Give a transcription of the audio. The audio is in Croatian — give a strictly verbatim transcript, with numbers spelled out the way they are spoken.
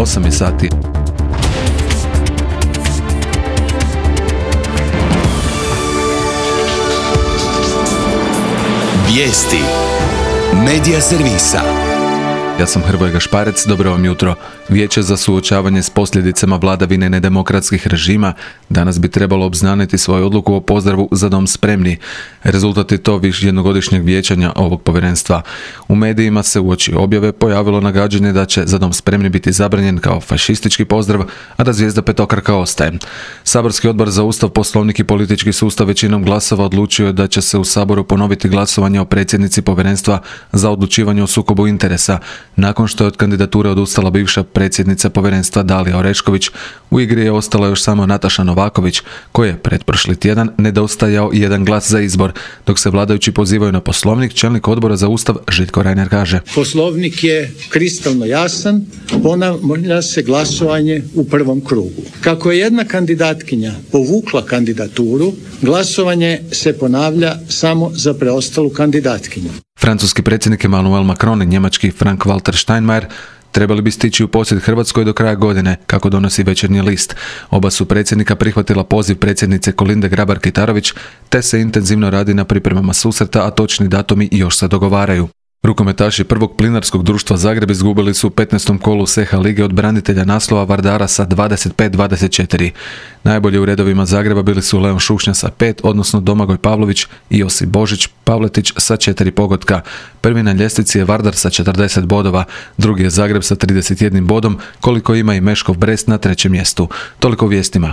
osam je sati. Vijesti Medija servisa. Ja sam Hrvoje Gašparec, dobro vam jutro. Vijeće za suočavanje s posljedicama vladavine nedemokratskih režima danas bi trebalo obznaniti svoju odluku o pozdravu Za dom spremni. Rezultat je to viš jednogodišnjeg vijećanja ovog povjerenstva. U medijima se uoči objave pojavilo nagađanje da će Za dom spremni biti zabranjen kao fašistički pozdrav, a da zvijezda petokraka ostaje. Saborski odbor za Ustav, Poslovnik i politički sustav većinom glasova odlučio je da će se u Saboru ponoviti glasovanje o predsjednici povjerenstva za odlučivanje o sukobu interesa, nakon što je od kandidature odustala bivša predsjednica povjerenstva Dalija Orešković. U igri je ostala još samo Nataša Novaković, koji je pretprošli tjedan nedostajao jedan glas za izbor. Dok se vladajući pozivaju na Poslovnik, čelnik odbora za Ustav Željko Reiner kaže: Poslovnik je kristalno jasan, ponavlja se glasovanje u prvom krugu. Kako je jedna kandidatkinja povukla kandidaturu, glasovanje se ponavlja samo za preostalu kandidatkinju. Francuski predsjednik Emmanuel Macron i njemački Frank-Walter Steinmeier trebali bi stići u posjet Hrvatskoj do kraja godine, kako donosi Večernji list. Oba su predsjednika prihvatila poziv predsjednice Kolinde Grabar-Kitarović, te se intenzivno radi na pripremama susreta, a točni datumi još se dogovaraju. Rukometaši prvog plinarskog društva Zagreb izgubili su u petnaestom kolu S H lige od branitelja naslova Vardara sa dvadeset pet dvadeset četiri. Najbolji u redovima Zagreba bili su Leon Šušnja sa pet, odnosno Domagoj Pavlović i Josip Božić Pavletić sa četiri pogotka. Prvi na ljestvici je Vardar sa četrdeset bodova, drugi je Zagreb sa trideset jedan bodom, koliko ima i Meškov Brest na trećem mjestu. Toliko u vijestima.